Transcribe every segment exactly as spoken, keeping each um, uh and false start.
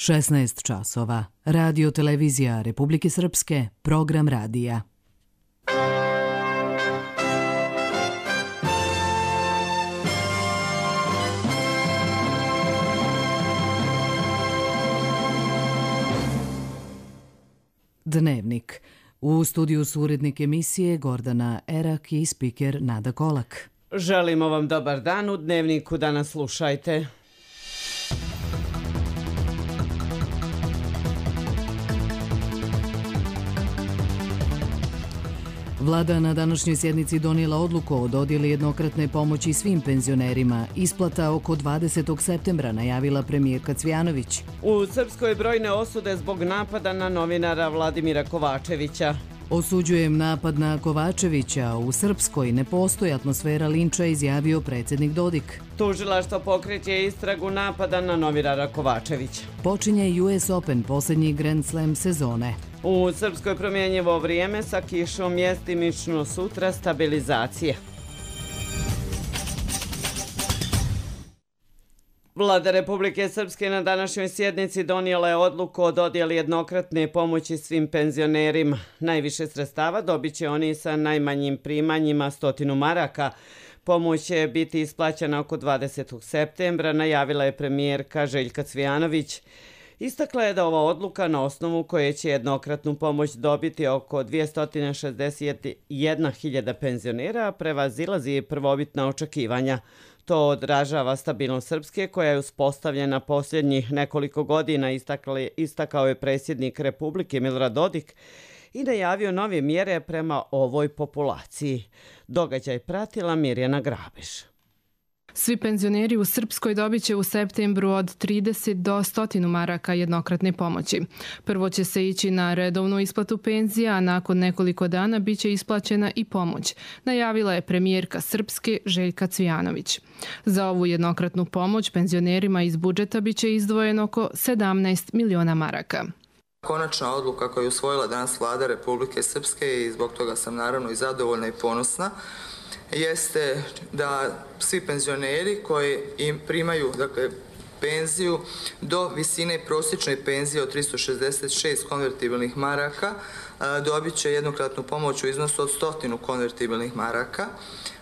šesnaest časova. Radio televizija Republike Srpske, program radija. Dnevnik. U studiju su urednik emisije Gordana Erak i spiker Nada Kolak. Želimo vam dobar dan, u Dnevniku danas slušajte. Vlada na današnjoj sjednici donijela odluku o dodjeli jednokratne pomoći svim penzionerima. Isplata oko dvadesetog septembra, najavila premijerka Cvijanović. U Srpskoj brojne osude zbog napada na novinara Vladimira Kovačevića. Osuđujem napad na Kovačevića. U Srpskoj ne postoji atmosfera linča, izjavio predsjednik Dodik. Tužilaštvo pokreće istragu napada na novinara Kovačevića. Počinje U S Open, posljednji Grand Slam sezone. U Srpskoj promjenjivo vrijeme sa kišom, mjestimično sutra stabilizacije. Vlada Republike Srpske na današnjoj sjednici donijela je odluku o dodjeli jednokratne pomoći svim penzionerima. Najviše sredstava dobit će oni sa najmanjim primanjima stotinu maraka. Pomoć će biti isplaćena oko dvadesetog septembra, najavila je premijerka Željka Cvijanović. Istakla je da ova odluka, na osnovu koje će jednokratnu pomoć dobiti oko dvjesto šezdeset jedna hiljada penzionera, prevazilazi prvobitna očekivanja. To odražava stabilnost Srpske koja je uspostavljena posljednjih nekoliko godina, istakao je predsjednik Republike Milorad Dodik i najavio nove mjere prema ovoj populaciji. Događaj pratila Mirjana Grabež. Svi penzioneri u Srpskoj dobit će u septembru od trideset do sto maraka jednokratne pomoći. Prvo će se ići na redovnu isplatu penzija, a nakon nekoliko dana bit će isplaćena i pomoć, najavila je premijerka Srpske Željka Cvijanović. Za ovu jednokratnu pomoć penzionerima iz budžeta bit će izdvojeno oko sedamnaest miliona maraka. Konačna odluka koju je usvojila danas Vlada Republike Srpske, i zbog toga sam naravno i zadovoljna i ponosna, jeste da svi penzioneri koji im primaju dakle, penziju do visine prosječne penzije od tristo šezdeset šest konvertibilnih maraka dobit će jednokratnu pomoć u iznosu od stotinu konvertibilnih maraka.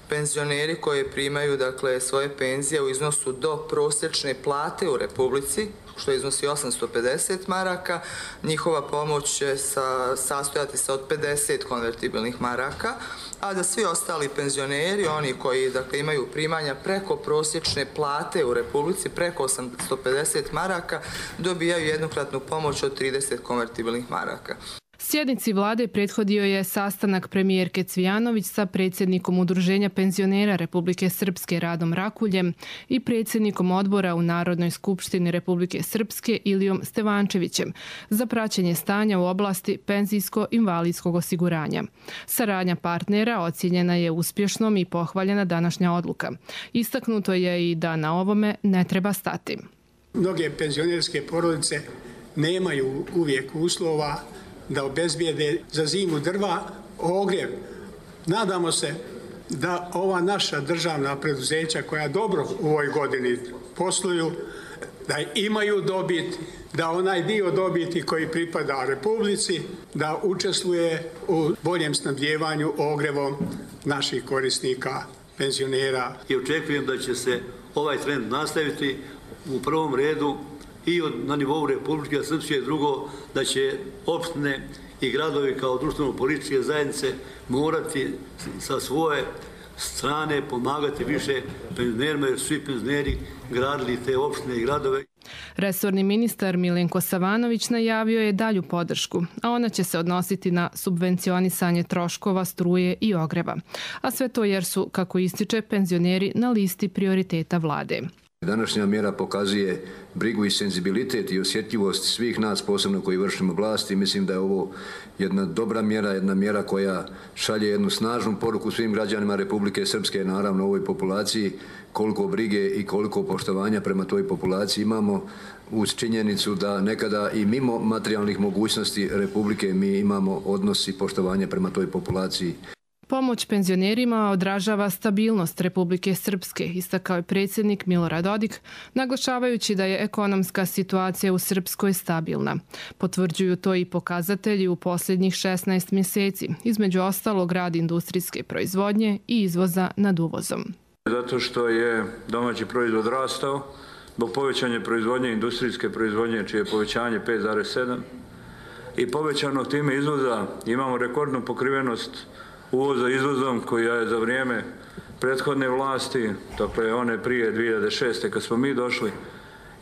Penzioneri koji primaju dakle, svoje penzije u iznosu do prosječne plate u Republici, što iznosi osamsto pedeset maraka, njihova pomoć će sa, sastojati se od pedeset konvertibilnih maraka, a da svi ostali penzioneri, oni koji dakle, imaju primanja preko prosječne plate u Republici, preko osamsto pedeset maraka, dobijaju jednokratnu pomoć od trideset konvertibilnih maraka. Sjednici vlade prethodio je sastanak premijerke Cvijanović sa predsjednikom Udruženja penzionera Republike Srpske Radom Rakuljem i predsjednikom odbora u Narodnoj skupštini Republike Srpske Ilijom Stevančevićem za praćenje stanja u oblasti penzijsko-invalidskog osiguranja. Saradnja partnera ocjenjena je uspješnom i pohvaljena današnja odluka. Istaknuto je i da na ovome ne treba stati. Mnoge penzionerske porodice nemaju uvijek uslova da obezbijede za zimu drva, ogrjev. Nadamo se da ova naša državna preduzeća koja dobro u ovoj godini posluju, da imaju dobit, da onaj dio dobiti koji pripada Republici, da učestvuje u boljem snabdijevanju ogrjevom naših korisnika, penzionera. I očekujem da će se ovaj trend nastaviti u prvom redu i od, na nivou Republike Srpske, drugo da će opštine i gradovi kao društveno-političke zajednice morati sa svoje strane pomagati više penzionerima, jer su svi penzioneri gradili te opštine i gradove. Resorni ministar Milenko Savanović najavio je dalju podršku, a ona će se odnositi na subvencionisanje troškova struje i ogreva. A sve to jer su, kako ističe, penzioneri na listi prioriteta vlade. Današnja mjera pokazuje brigu i senzibilitet i osjetljivost svih nas, posebno koji vršimo vlast, i mislim da je ovo jedna dobra mjera, jedna mjera koja šalje jednu snažnu poruku svim građanima Republike Srpske, naravno ovoj populaciji, koliko brige i koliko poštovanja prema toj populaciji imamo, uz činjenicu da nekada i mimo materijalnih mogućnosti Republike mi imamo odnos i poštovanje prema toj populaciji. Pomoć penzionerima odražava stabilnost Republike Srpske, istakao je predsjednik Milorad Dodik, naglašavajući da je ekonomska situacija u Srpskoj stabilna. Potvrđuju to i pokazatelji u posljednjih šesnaest mjeseci, između ostalog rad industrijske proizvodnje i izvoza nad uvozom. Zato što je domaći proizvod rastao, zbog povećanja proizvodnje, industrijske proizvodnje, čije je povećanje pet zarez sedam i povećanog time izvoza imamo rekordnu pokrivenost uvoza izvozom koja je za vrijeme prethodne vlasti, dakle one prije dvije hiljade šeste kad smo mi došli,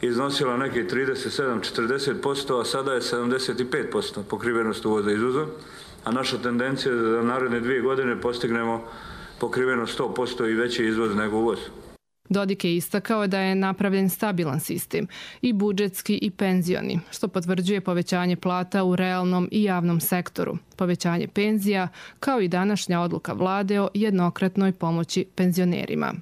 iznosila nekih trideset sedam do četrdeset posto, a sada je sedamdeset pet posto pokrivenost uvoza izvozom, a naša tendencija je da za naredne dvije godine postignemo pokrivenost sto posto i veći izvoz nego uvoz. Dodik je istakao da je napravljen stabilan sistem, i budžetski i penzioni, što potvrđuje povećanje plata u realnom i javnom sektoru, povećanje penzija, kao i današnja odluka vlade o jednokratnoj pomoći penzionerima.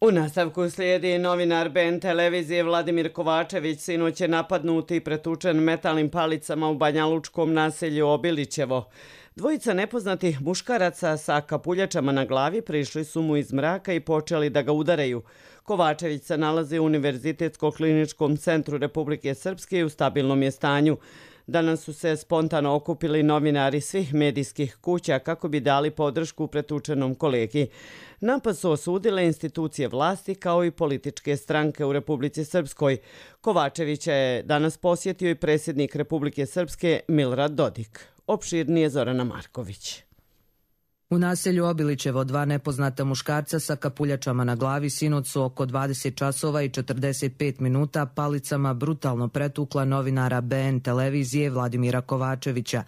U nastavku slijedi novinar B N televizije Vladimir Kovačević, sinoć je napadnut i pretučen metalnim palicama u banjalučkom naselju Obilićevo. Dvojica nepoznatih muškaraca sa kapuljačama na glavi prišli su mu iz mraka i počeli da ga udaraju. Kovačević se nalazi u Univerzitetsko-kliničkom centru Republike Srpske i u stabilnom je stanju. Danas su se spontano okupili novinari svih medijskih kuća kako bi dali podršku pretučenom kolegi. Napad su osudile institucije vlasti kao i političke stranke u Republici Srpskoj. Kovačevića je danas posjetio i predsjednik Republike Srpske Milorad Dodik. Opširnije Zorana Marković. U naselju Obilićevo dva nepoznata muškarca sa kapuljačama na glavi sinoć su oko dvadeset časova i četrdeset pet minuta palicama brutalno pretukla novinara B N televizije Vladimira Kovačevića.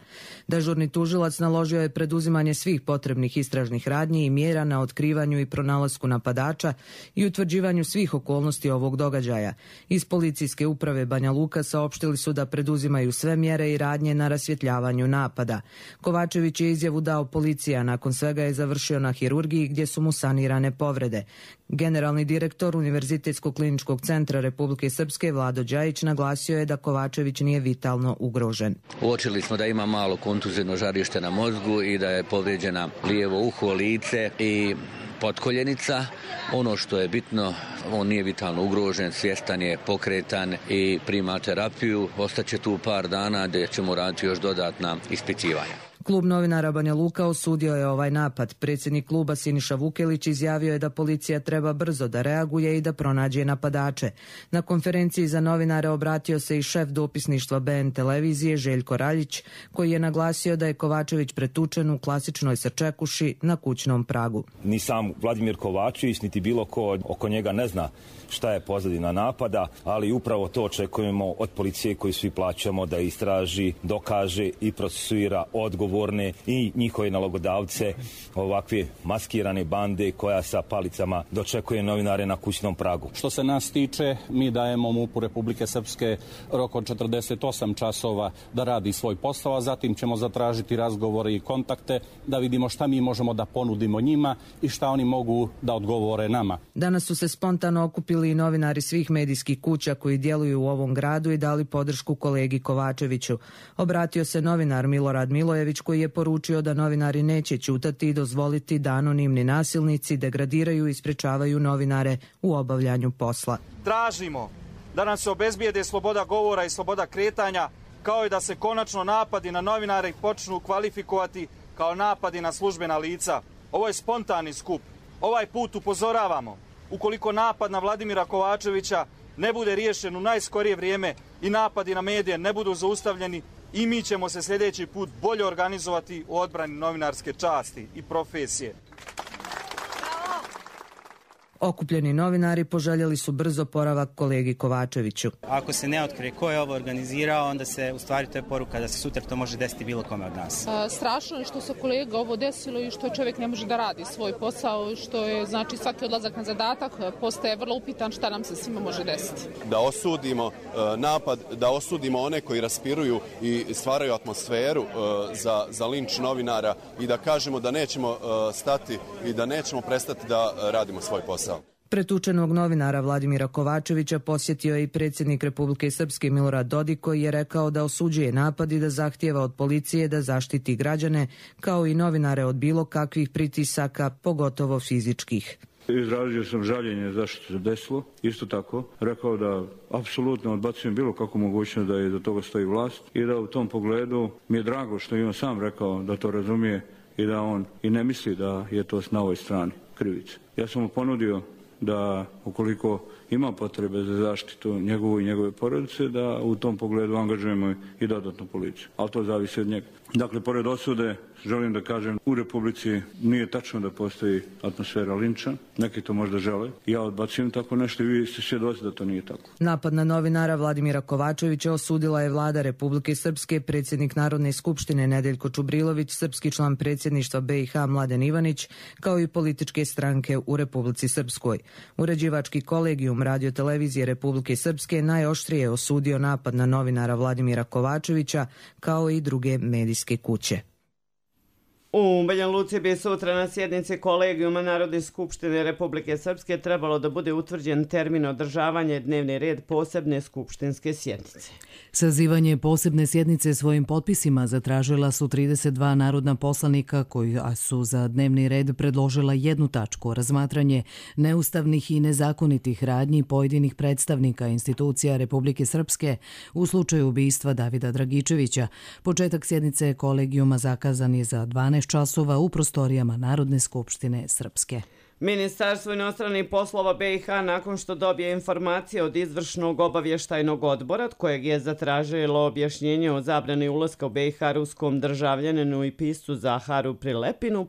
Dežurni tužilac naložio je preduzimanje svih potrebnih istražnih radnji i mjera na otkrivanju i pronalasku napadača i utvrđivanju svih okolnosti ovog događaja. Iz policijske uprave Banja Luka saopštili su da preduzimaju sve mjere i radnje na rasvjetljavanju napada. Kovačević je izjavu dao policija, nakon svega je završio na hirurgiji gdje su mu sanirane povrede. Generalni direktor Univerzitetsko-kliničkog centra Republike Srpske Vlado Đajić naglasio je da Kovačević nije vitalno ugrožen. Uočili smo da ima malo kontuzivno žarište na mozgu i da je povrijeđena lijevo uho, lice i potkoljenica. Ono što je bitno, on nije vitalno ugrožen, svjestan je, pokretan i prima terapiju. Ostaće tu par dana gdje ćemo raditi još dodatna ispitivanja. Klub novinara Banja Luka osudio je ovaj napad. Predsjednik kluba Siniša Vukelić izjavio je da policija treba brzo da reaguje i da pronađe napadače. Na konferenciji za novinare obratio se i šef dopisništva B N televizije Željko Raljić, koji je naglasio da je Kovačević pretučen u klasičnoj srčekuši na kućnom pragu. Ni sam Vladimir Kovačević, niti bilo ko oko njega ne zna šta je pozadina napada, ali upravo to očekujemo od policije koju svi plaćamo da istraži, dokaže i procesuira odgovorne i njihove nalogodavce ovakve maskirane bande koja sa palicama dočekuje novinare na kućnom pragu. Što se nas tiče, mi dajemo MUP-u Republike Srpske rok od četrdeset osam časova da radi svoj posao, a zatim ćemo zatražiti razgovore i kontakte da vidimo šta mi možemo da ponudimo njima i šta oni mogu da odgovore nama. Danas su se spontano okupili i novinari svih medijskih kuća koji djeluju u ovom gradu i dali podršku kolegi Kovačeviću. Obratio se novinar Milorad Milojević koji je poručio da novinari neće ćutati i dozvoliti da anonimni nasilnici degradiraju i sprečavaju novinare u obavljanju posla. Tražimo da nam se obezbijede sloboda govora i sloboda kretanja, kao i da se konačno napadi na novinare počnu kvalifikovati kao napadi na službena lica. Ovo je spontani skup. Ovaj put upozoravamo. Ukoliko napad na Vladimira Kovačevića ne bude riješen u najskorije vrijeme i napadi na medije ne budu zaustavljeni, i mi ćemo se sljedeći put bolje organizovati u odbrani novinarske časti i profesije. Okupljeni novinari poželjeli su brzo poravak kolegi Kovačeviću. Ako se ne otkrije ko je ovo organizirao, onda se u stvari to je poruka da se sutra to može desiti bilo kome od nas. A, strašno je što se kolega ovo desilo i što čovjek ne može da radi svoj posao, što je znači svaki odlazak na zadatak postaje vrlo upitan šta nam se svima može desiti. Da osudimo uh, napad, da osudimo one koji raspiruju i stvaraju atmosferu uh, za, za linč novinara i da kažemo da nećemo uh, stati i da nećemo prestati da uh, radimo svoj posao. Pretučenog novinara Vladimira Kovačevića posjetio je i predsjednik Republike Srpske Milorad Dodik, koji je rekao da osuđuje napad i da zahtijeva od policije da zaštiti građane, kao i novinare od bilo kakvih pritisaka, pogotovo fizičkih. Izrazio sam žaljenje zašto se desilo. Isto tako rekao da apsolutno odbacujem bilo kakvu mogućnost da iza toga stoji vlast i da u tom pogledu mi je drago što je on sam rekao da to razumije i da on i ne misli da je to na ovoj strani krivice. Ja sam mu ponudio da ukoliko ima potrebe za zaštitu njegovu i njegove porodice, da u tom pogledu angažujemo i dodatnu policiju. Ali to zavisi od njega. Dakle, pored osude, želim da kažem, u Republici nije tačno da postoji atmosfera linča. Neki to možda žele. Ja odbacujem tako nešto i vi ste svjedoci da to nije tako. Napad na novinara Vladimira Kovačevića osudila je vlada Republike Srpske, predsjednik Narodne skupštine Nedeljko Čubrilović, srpski član predsjedništva B i H Mladen Ivanić, kao i političke stranke u Republici Srpskoj. Uređivački kolegijum Radio-televizije Republike Srpske najoštrije osudio napad na novinara Vladimira Kovačevića, kao i druge medijske kuće. U Banja Luci bi sutra na sjednici kolegijuma Narodne skupštine Republike Srpske trebalo da bude utvrđen termin održavanja dnevni red posebne skupštinske sjednice. Sazivanje posebne sjednice svojim potpisima zatražila su trideset dva narodna poslanika koji su za dnevni red predložila jednu tačku, razmatranje neustavnih i nezakonitih radnji pojedinih predstavnika institucija Republike Srpske u slučaju ubistva Davida Dragičevića. Početak sjednice kolegijuma zakazan je za dvanaest časova u prostorijama Narodne skupštine Srpske. Ministarstvo inostranih poslova B i H nakon što dobije informacije od izvršnog obavještajnog odbora, od kojeg je zatražilo objašnjenje o zabrani ulaska u B i H ruskom državljaninu i piscu Zaharu Prilepinu,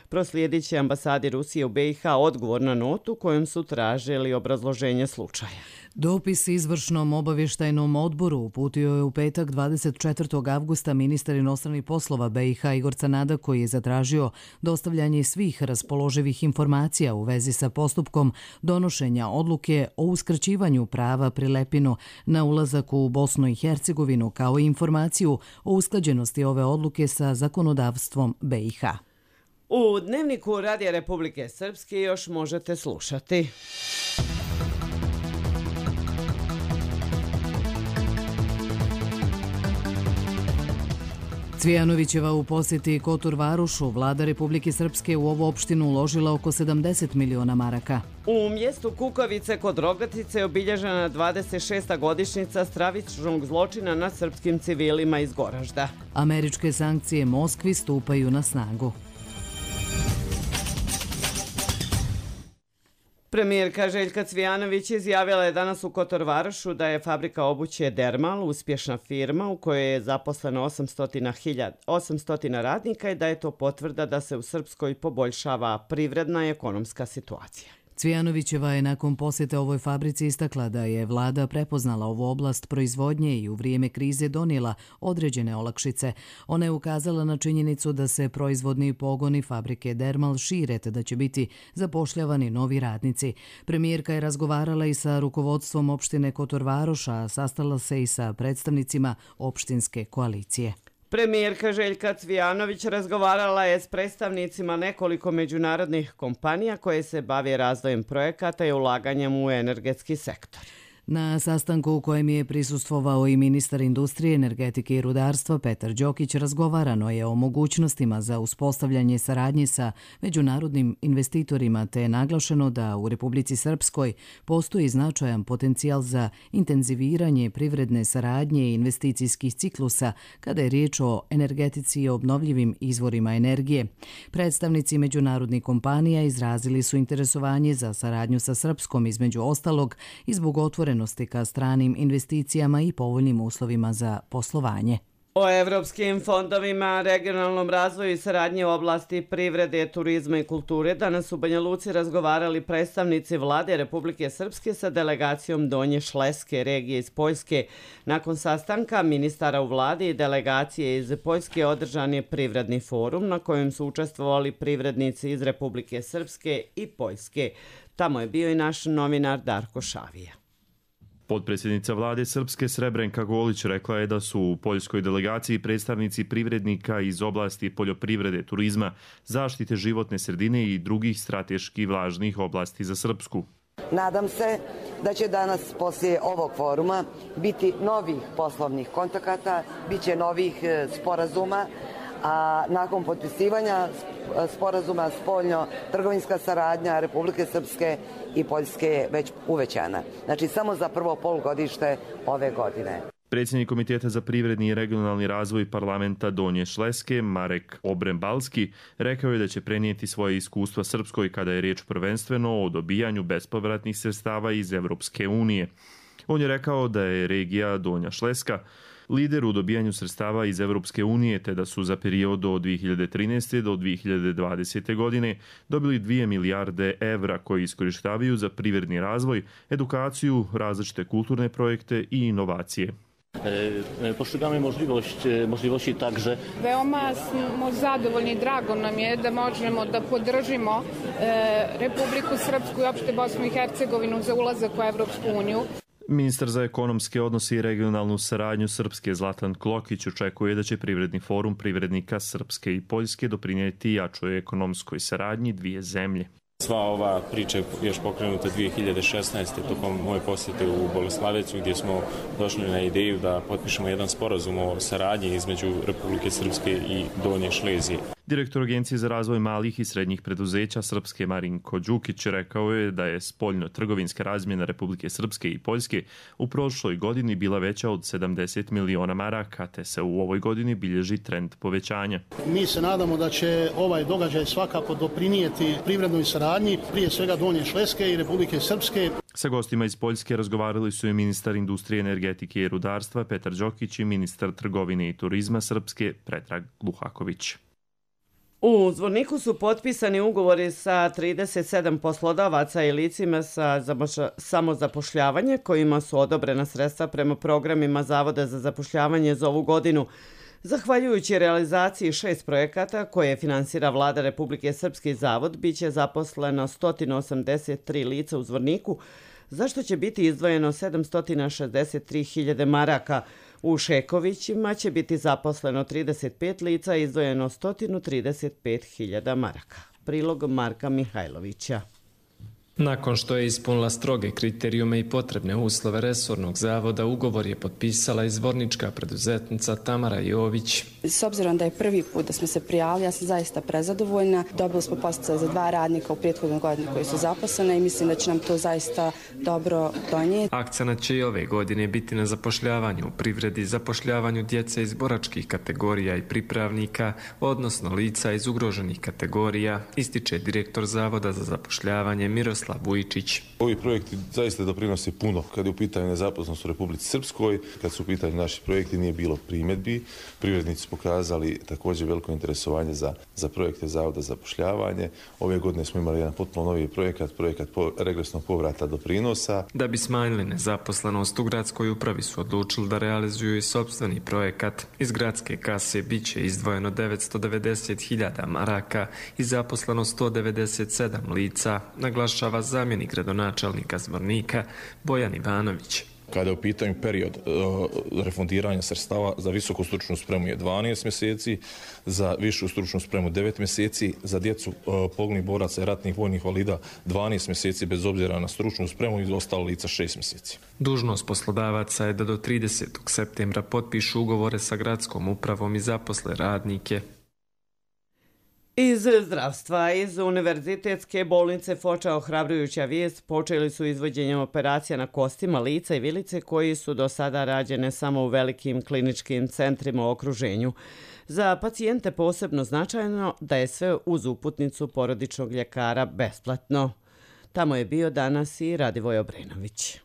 proslijedit će ambasadi Rusije u B i H odgovor na notu kojom su tražili obrazloženje slučaja. Dopis izvršnom obavještajnom odboru uputio je u petak dvadeset četvrtog avgusta ministar inostranih poslova B i H Igor Canada, koji je zatražio dostavljanje svih raspoloživih informacija u vezi sa postupkom donošenja odluke o uskraćivanju prava Prilepinu na ulazak u Bosnu i Hercegovinu, kao i informaciju o usklađenosti ove odluke sa zakonodavstvom B i H. U Dnevniku Radija Republike Srpske još možete slušati. Cvijanovićeva u posjeti Kotor Varošu, vlada Republike Srpske u ovu opštinu uložila oko sedamdeset miliona maraka. U mjestu Kukavice kod Rogatice je obilježena dvadeset šesta godišnjica stravičnog zločina nad srpskim civilima iz Goražda. Američke sankcije Moskvi stupaju na snagu. Premijerka Željka Cvijanović izjavila je danas u Kotor Varošu da je fabrika obuće Dermal uspješna firma u kojoj je zaposleno osamsto radnika i da je to potvrda da se u Srpskoj poboljšava privredna i ekonomska situacija. Cvijanovićeva je nakon posjete ovoj fabrici istakla da je vlada prepoznala ovu oblast proizvodnje i u vrijeme krize donijela određene olakšice. Ona je ukazala na činjenicu da se proizvodni pogoni fabrike Dermal šire te da će biti zapošljavani novi radnici. Premijerka je razgovarala i sa rukovodstvom opštine Kotor Varoš, a sastala se i sa predstavnicima opštinske koalicije. Premijerka Željka Cvijanović razgovarala je s predstavnicima nekoliko međunarodnih kompanija koje se bave razvojem projekata i ulaganjem u energetski sektor. Na sastanku u kojem je prisustvovao i ministar industrije, energetike i rudarstva Petar Đokić, razgovarano je o mogućnostima za uspostavljanje saradnje sa međunarodnim investitorima, te je naglašeno da u Republici Srpskoj postoji značajan potencijal za intenziviranje privredne saradnje i investicijskih ciklusa kada je riječ o energetici i obnovljivim izvorima energije. Predstavnici međunarodnih kompanija izrazili su interesovanje za saradnju sa Srpskom, između ostalog i zbog otvorenosti ka stranim investicijama i povoljnim uslovima za poslovanje. O evropskim fondovima, regionalnom razvoju i saradnji u oblasti privrede, turizma i kulture danas u Banja Luci razgovarali predstavnici vlade Republike Srpske sa delegacijom Donje Šleske regije iz Poljske. Nakon sastanka ministara u vladi i delegacije iz Poljske održan je privredni forum na kojem su učestvovali privrednici iz Republike Srpske i Poljske. Tamo je bio i naš novinar Darko Šavija. Potpredsjednica vlade Srpske Srebrenka Golić rekla je da su u poljskoj delegaciji predstavnici privrednika iz oblasti poljoprivrede, turizma, zaštite životne sredine i drugih strateški važnih oblasti za Srpsku. Nadam se da će danas poslije ovog foruma biti novih poslovnih kontakata, bit će novih sporazuma, a nakon potpisivanja sporazuma spoljno-trgovinska saradnja Republike Srpske i Poljske je već uvećana. Znači samo za prvo polugodište ove godine. Predsjednik Komiteta za privredni i regionalni razvoj parlamenta Donje Šleske, Marek Obrembalski, rekao je da će prenijeti svoje iskustva Srpskoj kada je riječ prvenstveno o dobijanju bespovratnih sredstava iz Evropske unije. On je rekao da je regija Donja Šleska lider u dobijanju sredstava iz Evropske unije, te da su za period od dvije hiljade trinaeste. do dvije hiljade dvadesete. godine dobili dvije milijarde evra koji iskorištavaju za privredni razvoj, edukaciju, različite kulturne projekte i inovacije. Postrzegamy możliwość, możliwości także. Veoma smo zadovoljni i drago nam je da možemo da podržimo Republiku Srpsku i opšte Bosnu i Hercegovinu za ulazak u Evropsku uniju. Ministar za ekonomske odnose i regionalnu saradnju Srpske Zlatan Klokić očekuje da će privredni forum privrednika Srpske i Poljske doprinijeti jačoj ekonomskoj saradnji dvije zemlje. Sva ova priča je još pokrenuta dvije hiljade šesnaeste. tokom moje posjete u Bogosławiec, gdje smo došli na ideju da potpišemo jedan sporazum o saradnji između Republike Srpske i Donje Šlezije. Direktor Agencije za razvoj malih i srednjih preduzeća Srpske Marinko Đukić rekao je da je spoljno-trgovinska razmjena Republike Srpske i Poljske u prošloj godini bila veća od sedamdeset miliona maraka, te se u ovoj godini bilježi trend povećanja. Mi se nadamo da će ovaj događaj svakako doprinijeti privrednoj saradnji, prije svega Donje Šleske i Republike Srpske. Sa gostima iz Poljske razgovarali su i ministar industrije, energetike i rudarstva Petar Đokić i ministar trgovine i turizma Srpske Predrag Luhaković. U Zvorniku su potpisani ugovori sa trideset sedam poslodavaca i licima sa samozapošljavanje kojima su odobrena sredstva prema programima Zavoda za zapošljavanje za ovu godinu. Zahvaljujući realizaciji šest projekata koje finansira Vlada Republike Srpske zavod, bit će zaposleno sto osamdeset tri lica u Zvorniku, za što će biti izdvojeno sedamsto šezdeset tri hiljade maraka. U Šekovićima će biti zaposleno trideset pet lica i izdvojeno sto trideset pet hiljada maraka. Prilog Marka Mihajlovića. Nakon što je ispunila stroge kriterijume i potrebne uslove resornog zavoda, ugovor je potpisala i zvornička preduzetnica Tamara Jović. S obzirom da je prvi put da smo se prijavili, ja sam zaista prezadovoljna. Dobili smo podsticaj za dva radnika u prethodnoj godini koji su zaposlene i mislim da će nam to zaista dobro donijeti. Akcenat će i ove godine biti na zapošljavanju u privredi, zapošljavanju djece iz boračkih kategorija i pripravnika, odnosno lica iz ugroženih kategorija, ističe direktor Zavoda za zapošljavanje Miroslav Vujičić. Ovi projekti zaista doprinose puno. Kad je u pitanju nezaposlenost u Republici Srpskoj, kad su u pitanju naši projekti, nije bilo primjedbi. Privrednici su pokazali također veliko interesovanje za, za projekte Zavoda za zapošljavanje. Ove godine smo imali jedan potpuno novi projekat, projekat po, regresnog povrata doprinosa. Da bi smanjili nezaposlenost u gradskoj upravi su odlučili da realizuju i sopstveni projekat. Iz gradske kase bit će izdvojeno devetsto devedeset hiljada maraka i zaposleno sto devedeset sedam lica, naglašava zamjenik gradonačelnika Zvornika Bojan Ivanović. Kada je u pitanju period uh, refundiranja sredstava za visoku stručnu spremu je dvanaest mjeseci, za višu stručnu spremu devet mjeseci, za djecu uh, poginulih boraca i ratnih vojnih invalida dvanaest mjeseci bez obzira na stručnu spremu i ostalo lica šest mjeseci. Dužnost poslodavaca je da do tridesetog septembra potpišu ugovore sa gradskom upravom i zaposle radnike. Iz zdravstva, iz Univerzitetske bolnice Foča ohrabrujuća vijest, počeli su izvođenjem operacija na kostima, lica i vilice koji su do sada rađene samo u velikim kliničkim centrima u okruženju. Za pacijente posebno značajno da je sve uz uputnicu porodičnog ljekara besplatno. Tamo je bio danas i Radivoj Obrenović.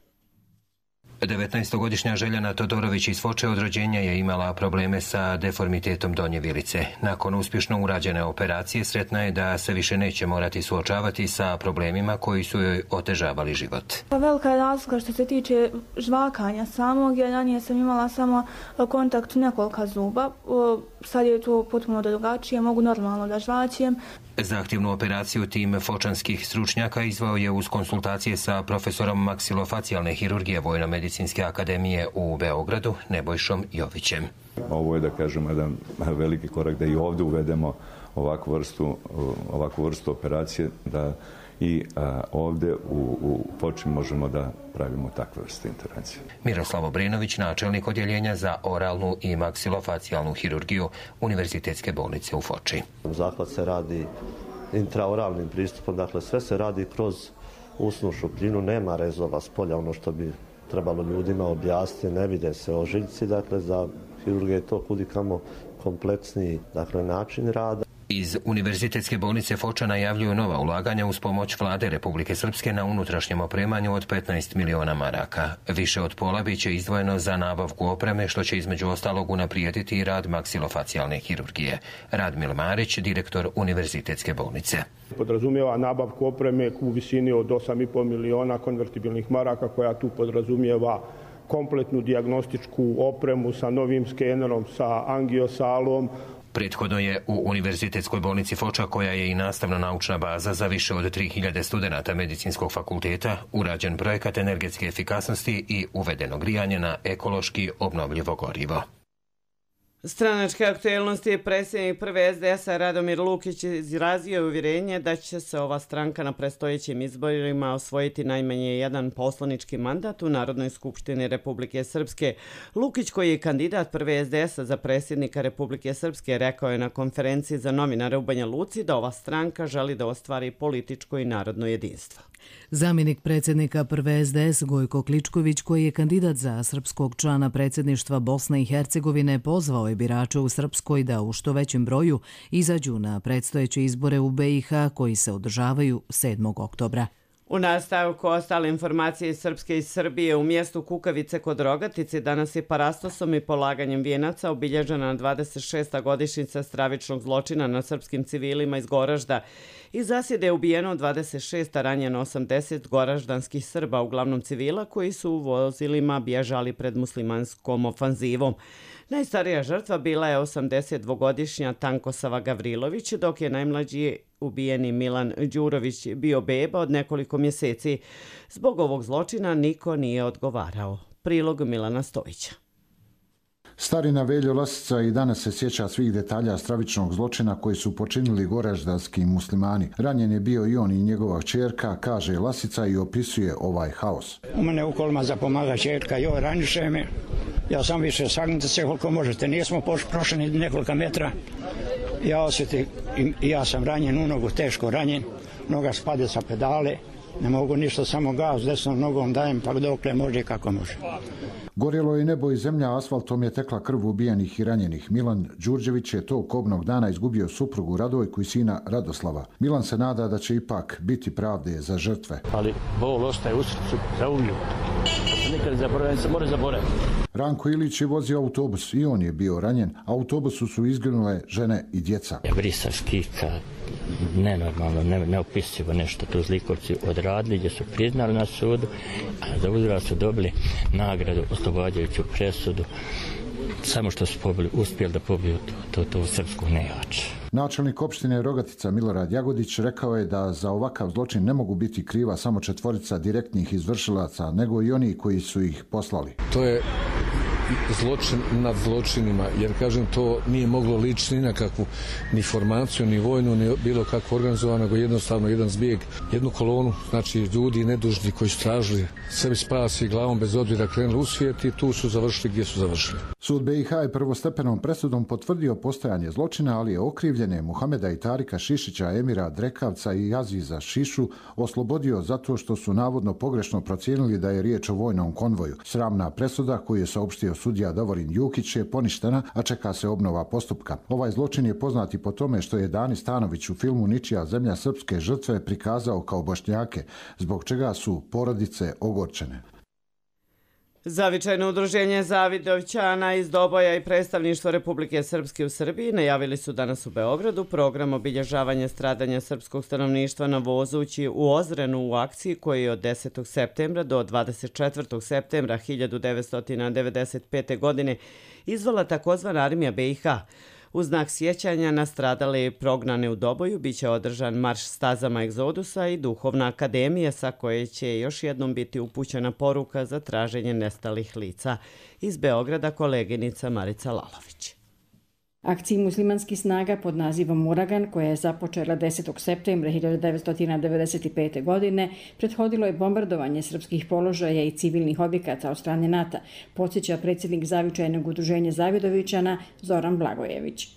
devetnaestogodišnja Željana Todorović iz Foče od rođenja je imala probleme sa deformitetom donje vilice. Nakon uspješno urađene operacije sretna je da se više neće morati suočavati sa problemima koji su joj otežavali život. Pa velika je razlika što se tiče žvakanja samog, jer ranije sam imala samo kontakt nekoliko zuba. Sad je to potpuno drugačije, mogu normalno da žvaćem. Zahtjevnu operaciju tim fočanskih stručnjaka izvao je uz konsultacije sa profesorom maksilofacijalne hirurgije Vojno-medicinske akademije u Beogradu, Nebojšom Jovićem. Ovo je, da kažemo, jedan veliki korak da i ovdje uvedemo ovakvu vrstu, ovakvu vrstu operacije, da i a, ovdje u, u Foči možemo da pravimo takve vrste intervencije. Miroslav Obrenović, načelnik odjeljenja za oralnu i maksilofacijalnu hirurgiju Univerzitetske bolnice u Foči. Zahvat se radi intraoralnim pristupom, dakle sve se radi kroz usnu šupljinu, nema rezova s polja, ono što bi trebalo ljudima objasniti, ne vide se ožiljci, dakle za hirurgiju je to kudikamo kompleksniji, dakle, način rada. Iz Univerzitetske bolnice Foča najavljuju nova ulaganja uz pomoć vlade Republike Srpske na unutrašnjem opremanju od petnaest miliona maraka. Više od pola biće izdvojeno za nabavku opreme, što će između ostalog unaprijediti i rad maksilofacijalne hirurgije. Radmil Marić, direktor Univerzitetske bolnice. Podrazumijeva nabavku opreme u visini od osam i po miliona konvertibilnih maraka, koja tu podrazumijeva kompletnu dijagnostičku opremu sa novim skenerom, sa angiosalom. Prethodno je u Univerzitetskoj bolnici Foča, koja je i nastavno-naučna baza za više od tri hiljade studenata medicinskog fakulteta, urađen projekat energetske efikasnosti i uvedeno grijanje na ekološki obnovljivo gorivo. Stranačke aktuelnosti predsjednik prve es de es-a Radomir Lukić izrazio uvjerenje da će se ova stranka na predstojećim izborima osvojiti najmanje jedan poslanički mandat u Narodnoj skupštini Republike Srpske. Lukić, koji je kandidat prve es de es-a za predsjednika Republike Srpske, rekao je na konferenciji za novinare u Banja Luci da ova stranka želi da ostvari političko i narodno jedinstvo. Zamjenik predsjednika prve es de es Gojko Kličković, koji je kandidat za srpskog člana predsjedništva Bosne i Hercegovine, pozvao je birače u Srpskoj da u što većem broju izađu na predstojeće izbore u be i ha koji se održavaju sedmog oktobra. U nastavku ostale informacije iz Srpske i Srbije, u mjestu Kukavice kod Rogatice danas je parastosom i polaganjem vijenaca obilježena dvadeset šesta godišnjica stravičnog zločina nad srpskim civilima iz Goražda. Iz zasjede je ubijeno dvadeset šest, a ranjeno osamdeset goraždanskih Srba, uglavnom civila, koji su u vozilima bježali pred muslimanskom ofanzivom. Najstarija žrtva bila je osamdesetdvogodišnja Tankosava Gavrilović, dok je najmlađi ubijeni Milan Đurović bio beba od nekoliko mjeseci. Zbog ovog zločina niko nije odgovarao. Prilog Milana Stojića. Starina Veljo Lasica i danas se sjeća svih detalja stravičnog zločina koji su počinili goraždanski muslimani. Ranjen je bio i on i njegova čerka, kaže Lasica, i opisuje ovaj haos. U mene u kolima zapomaga čerka, joj, raniše me. Ja sam više, sagnite se koliko možete. Nismo prošli nekoliko metra. Ja osjetim, i ja sam ranjen u nogu, teško ranjen. Noga spade sa pedale. Ne mogu ništa, samo gaz desnom nogom dajem, pa dokle može i kako može. Gorjelo je nebo i zemlja, asfaltom je tekla krv ubijenih i ranjenih. Milan Đurđević je tog kobnog dana izgubio suprugu Radojku i sina Radoslava. Milan se nada da će ipak biti pravde za žrtve. Ali bol ostaje u srcu za uvijek. Nikad zaboravim, se može zaboraviti. Ranko Ilić je vozio autobus i on je bio ranjen. Autobusu su izginule žene i djeca. Vrisa, skika, nenormalno, ne, neopisivo nešto tu zlikovci odradili, gdje su priznali na sudu, a za uzvrat su dobili nagradu, oslobađajuću presudu, samo što su pobili, uspjeli da pobiju to, to, to srpsku nejač. Načelnik opštine Rogatica Milorad Jagodić rekao je da za ovakav zločin ne mogu biti kriva samo četvorica direktnih izvršilaca, nego i oni koji su ih poslali. To je zločin nad zločinima, jer kažem, to nije moglo ličiti ni na kakvu ni formaciju, ni vojnu, ni bilo kako organizovano, nego jednostavno jedan zbijeg, jednu kolonu, znači ljudi nedužni koji su tražili sebi spas i glavom bez obzira krenuli u svijet i tu su završili gdje su završili. Sud be i ha je prvostepenom presudom potvrdio postojanje zločina, ali je okrivljene Muhameda i Tarika Šišića, Emira Drekavca i Aziza Šišu oslobodio zato što su navodno pogrešno procijenili da je riječ o vojnom konvoju. Sramna presuda koju je saopštio sudija Davorin Jukić je poništena, a čeka se obnova postupka. Ovaj zločin je poznat i po tome što je Dani Stanović u filmu Ničija zemlja srpske žrtve prikazao kao Bošnjake, zbog čega su porodice ogorčene. Zavičajno udruženje Zavidovćana iz Doboja i predstavništvo Republike Srpske u Srbiji najavili su danas u Beogradu program obilježavanja stradanja srpskog stanovništva na Vozući u Ozrenu u akciji koji je od desetog septembra do dvadeset četvrtog septembra hiljadu devetsto devedeset pete. godine izvala takozvana armija be i ha. U znak sjećanja na stradale i prognane u Doboju biće održan marš stazama egzodusa i duhovna akademija sa koje će još jednom biti upućena poruka za traženje nestalih lica. Iz Beograda koleginica Marica Lalović. Akciji muslimanskih snaga pod nazivom Uragan, koja je započela desetog septembra hiljadu devetsto devedeset pete. godine, prethodilo je bombardovanje srpskih položaja i civilnih objekata od strane NATO, podsjeća predsjednik Zavičajnog udruženja Zavidovićana Zoran Blagojević.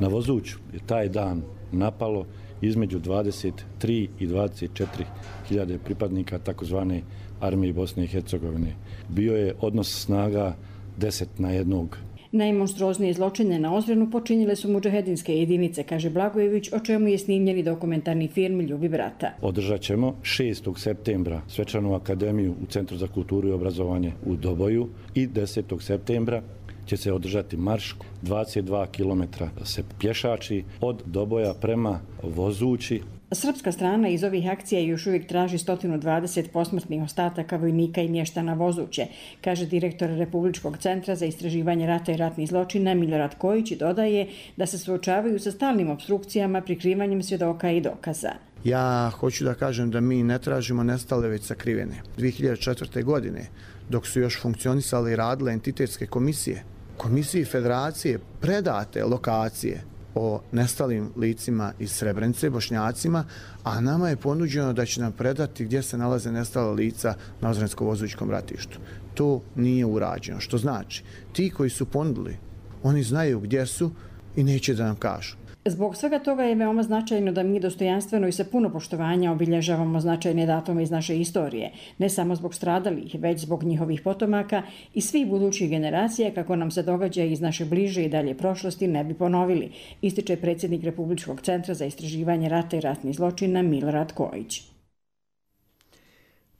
Na Vozuću je taj dan napalo između dvadeset tri i dvadeset četiri hiljade pripadnika takozvane armije Bosne i Hercegovine. Bio je odnos snaga deset na jednog. Najmonstruoznije zločine na Ozrenu počinile su mudžahedinske jedinice, kaže Blagojević, o čemu je snimljeni dokumentarni film Ljubi brata. Održat ćemo šestog septembra svečanu akademiju u Centru za kulturu i obrazovanje u Doboju i desetog septembra će se održati marš dvadeset dva kilometra se pješači od Doboja prema Vozući. Srpska strana iz ovih akcija još uvijek traži sto dvadeset posmrtnih ostataka vojnika i mještana Vozuće, kaže direktor Republičkog centra za istraživanje rata i ratnih zločina Milorad Kojić i dodaje da se suočavaju sa stalnim opstrukcijama, prikrivanjem svjedoka i dokaza. Ja hoću da kažem da mi ne tražimo nestale već sakrivene. dvije hiljade četvrte. godine, dok su još funkcionisale i radile entitetske komisije, komisiji federacije predate lokacije o nestalim licima iz Srebrenice, Bošnjacima, a nama je ponuđeno da će nam predati gdje se nalaze nestala lica na Ozrensko-Vozućkom ratištu. To nije urađeno, što znači ti koji su ponudili, oni znaju gdje su i neće da nam kažu. Zbog svega toga je veoma značajno da mi dostojanstveno i sa puno poštovanja obilježavamo značajne datume iz naše istorije, ne samo zbog stradalih, već zbog njihovih potomaka i svih budućih generacija, kako nam se događa iz naše bliže i dalje prošlosti ne bi ponovili, ističe predsjednik Republičkog centra za istraživanje rata i ratnih zločina Milorad Kojić.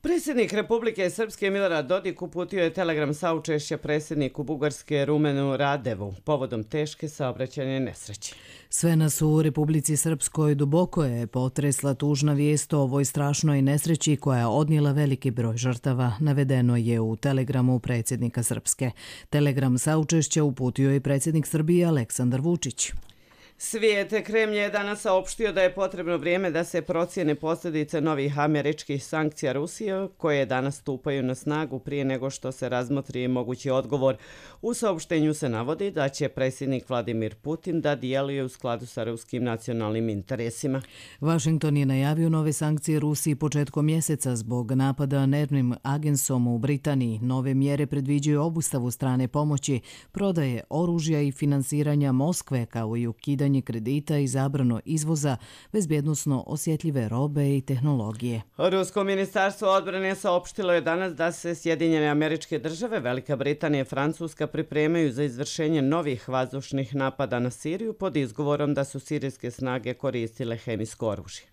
Predsjednik Republike Srpske Milorad Dodik uputio je telegram saučešća predsjedniku Bugarske Rumenu Radevu povodom teške saobraćajne nesreće. Sve nas u Republici Srpskoj duboko je potresla tužna vijest o ovoj strašnoj nesreći koja je odnijela veliki broj žrtava, navedeno je u telegramu predsjednika Srpske. Telegram saučešća uputio je predsjednik Srbije Aleksandar Vučić. Svijet Kremlj je danas saopštio da je potrebno vrijeme da se procijene posljedice novih američkih sankcija Rusije koje danas stupaju na snagu prije nego što se razmotri mogući odgovor. U saopštenju se navodi da će predsjednik Vladimir Putin da djeluje u skladu sa ruskim nacionalnim interesima. Washington je najavio nove sankcije Rusiji početkom mjeseca zbog napada nervnim agensom u Britaniji. Nove mjere predviđaju obustavu strane pomoći, prodaje oružja i finansiranja Moskve kao i ukidanje kredita i zabrano izvoza bezbjednosno osjetljive robe i tehnologije. Rusko ministarstvo odbrane saopštilo je danas da se Sjedinjene Američke Države, Velika Britanija i Francuska pripremaju za izvršenje novih vazdušnih napada na Siriju pod izgovorom da su sirijske snage koristile hemijsko oružje.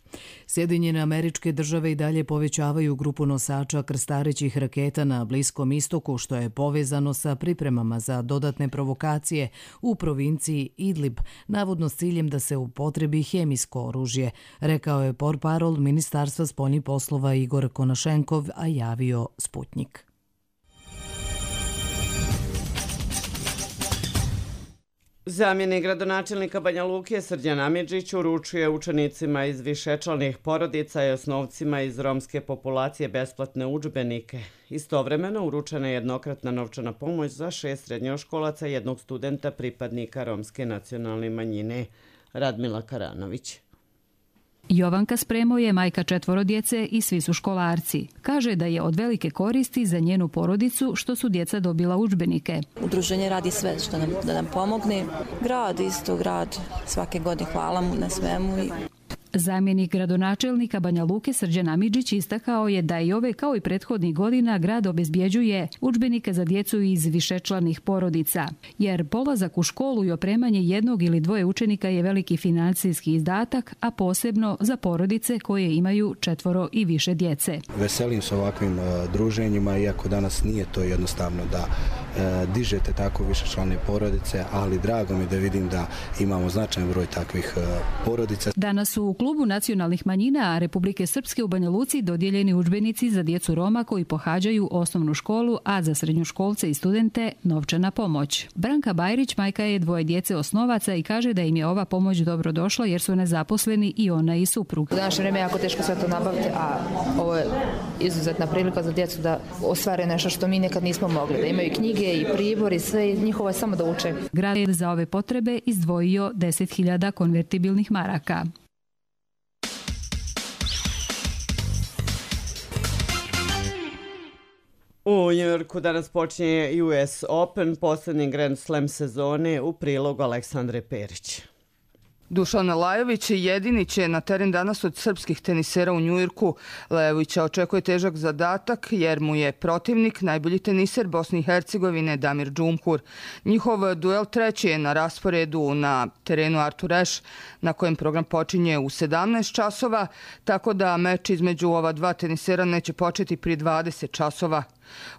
Sjedinjene Američke Države i dalje povećavaju grupu nosača krstarećih raketa na Bliskom istoku, što je povezano sa pripremama za dodatne provokacije u provinciji Idlib, navodno s ciljem da se upotrebi hemijsko oružje, rekao je portparol Ministarstva spoljnih poslova Igor Konašenkov, a javio Sputnik. Zamjenik gradonačelnika Banja Luke Srđan Amidžić uručuje učenicima iz višečlanih porodica i osnovcima iz romske populacije besplatne udžbenike. Istovremeno uručena je jednokratna novčana pomoć za šest srednjoškolaca i jednog studenta pripadnika romske nacionalne manjine. Radmila Karanović. Jovanka Spremo je majka četvoro djece i svi su školarci. Kaže da je od velike koristi za njenu porodicu što su djeca dobila udžbenike. Udruženje radi sve što nam, da nam pomogne. Grad isto, grad svake godine hvala mu na svemu. Zamjenik gradonačelnika Banja Luke Srđan Amidžić istakao je da i ove kao i prethodnih godina grad obezbjeđuje udžbenike za djecu iz višečlanih porodica, jer polazak u školu i opremanje jednog ili dvoje učenika je veliki financijski izdatak, a posebno za porodice koje imaju četvoro i više djece. Veselim se ovakvim uh, druženjima, iako danas nije to jednostavno da dižete tako višečlane porodice, ali drago mi da vidim da imamo značajan broj takvih porodica. Danas su u klubu nacionalnih manjina Republike Srpske u Banja Luci dodijeljeni udžbenici za djecu Roma koji pohađaju osnovnu školu, a za srednjoškolce i studente novčana pomoć. Branka Bajrić majka je dvoje djece osnovaca i kaže da im je ova pomoć dobro došla jer su nezaposleni i ona i suprug. U današnje vrijeme je jako teško sve to nabaviti, a ovo je izuzetna prilika za djecu da ostvare nešto što mi nekad nismo mogli, da imaju knjige i pribor i sve, njihovo je samo da uče. Grad je za ove potrebe izdvojio deset hiljada konvertibilnih maraka. U Njujorku danas počinje U S Open, posljednji Grand Slam sezone, u prilogu Aleksandre Perić. Dušan Lajović jedini će na teren danas od srpskih tenisera u Njujorku. Lajovića očekuje težak zadatak jer mu je protivnik najbolji teniser Bosne i Hercegovine Damir Džumhur. Njihov duel treći je na rasporedu na terenu Artur Ashe, na kojem program počinje u sedamnaest časova, tako da meč između ova dva tenisera neće početi prije dvadeset časova.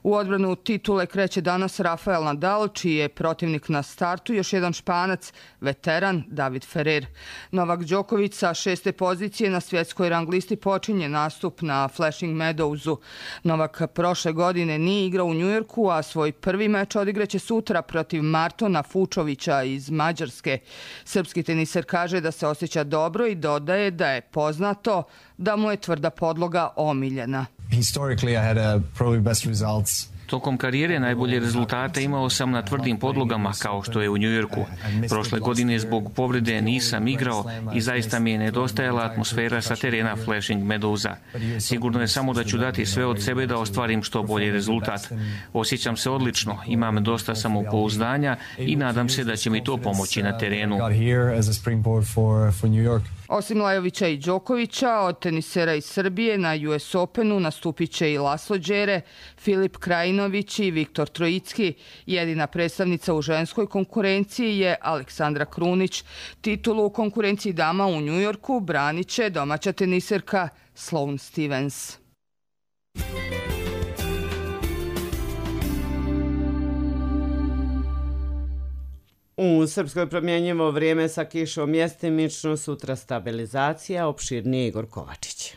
U odbranu titule kreće danas Rafael Nadal, čiji je protivnik na startu još jedan Španac, veteran David Ferrer. Novak Đoković sa šeste pozicije na svjetskoj rang listi počinje nastup na Flushing Meadowsu. Novak prošle godine nije igrao u Njujorku, a svoj prvi meč odigraće sutra protiv Martona Fučovića iz Mađarske. Srpski teniser kaže da se osjeća dobro i dodaje da je poznato da mu je tvrda podloga omiljena. Historically, I had a probably best results. Tokom karijere najbolje rezultate imao sam na tvrdim podlogama kao što je u Njujorku. Prošle godine zbog povrede nisam igrao i zaista mi je nedostajala atmosfera sa terena Flushing Meadowsa. Sigurno je samo da ću dati sve od sebe da ostvarim što bolji rezultat. Osjećam se odlično, imam dosta samopouzdanja i nadam se da će mi to pomoći na terenu. Osim Lajovića i Đokovića, od tenisera iz Srbije na U S Openu nastupit će i Laslo Đere, Filip Krajinović i Viktor Trojicki. Jedina predstavnica u ženskoj konkurenciji je Aleksandra Krunić. Titulu u konkurenciji dama u Njujorku branit će domaća teniserka Sloane Stevens. U Srpskoj promjenjivo vrijeme sa kišom mjestimično, sutra stabilizacija, opširnije Igor Kovačić.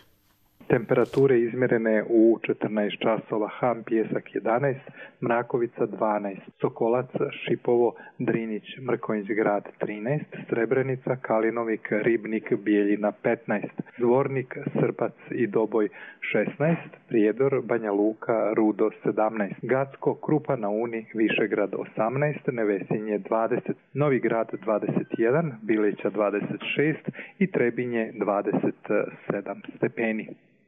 Temperature izmjerene u četrnaest časova, Ham, Pijesak jedanaest, Mrakovica dvanaest, Sokolac, Šipovo, Drinić, Mrkonjić grad trinaest, Srebrenica, Kalinovik, Ribnik, Bijeljina petnaest, Zvornik, Srpac i Doboj šesnaest, Prijedor, Banja Luka, Rudo sedamnaest, Gacko, Krupa na Uni, Višegrad osamnaest, Nevesinje dvadeset, Novi Grad dvadeset jedan, Bileća dvadeset šest i Trebinje dvadeset sedam stepeni.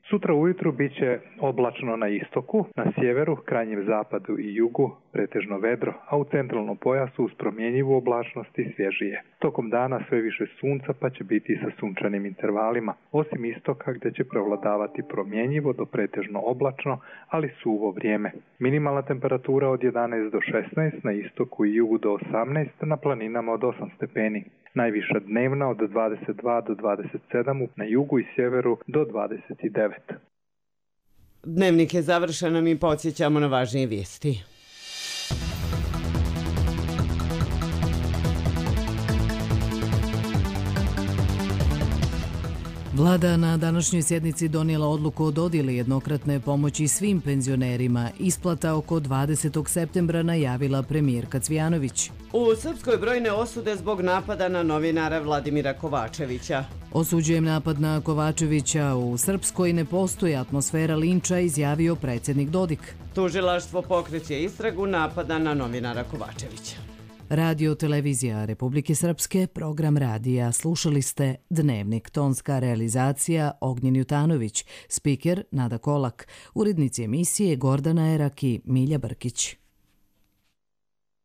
Sutra ujutru bit će oblačno na istoku, na sjeveru, krajnjem zapadu i jugu, pretežno vedro, a u centralnom pojasu uz promjenjivu oblačnost i svježije. Tokom dana sve više sunca pa će biti sa sunčanim intervalima, osim istoka gdje će prevladavati promjenjivo do pretežno oblačno, ali suvo vrijeme. Minimalna temperatura od jedanaest do šesnaest, na istoku i jugu do osamnaest, na planinama od osam stepeni. Najviša dnevna od dvadeset dva do dvadeset sedam, na jugu i sjeveru do dvadeset devet. Dnevnik je završen, a mi podsjećamo na važnije vijesti. Vlada na današnjoj sjednici donijela odluku o dodjeli jednokratne pomoći svim penzionerima. Isplata oko dvadesetog septembra najavila premijerka Cvijanović. U Srpskoj brojne osude zbog napada na novinara Vladimira Kovačevića. Osuđujem napad na Kovačevića. U Srpskoj ne postoji atmosfera linča, izjavio predsjednik Dodik. Tužilaštvo pokreće istragu napada na novinara Kovačevića. Radio Televizija Republike Srpske, program radija. Slušali ste Dnevnik, tonska realizacija Ognjen Jutanović, spiker Nada Kolak, urednici emisije Gordana Erak i Milja Brkić.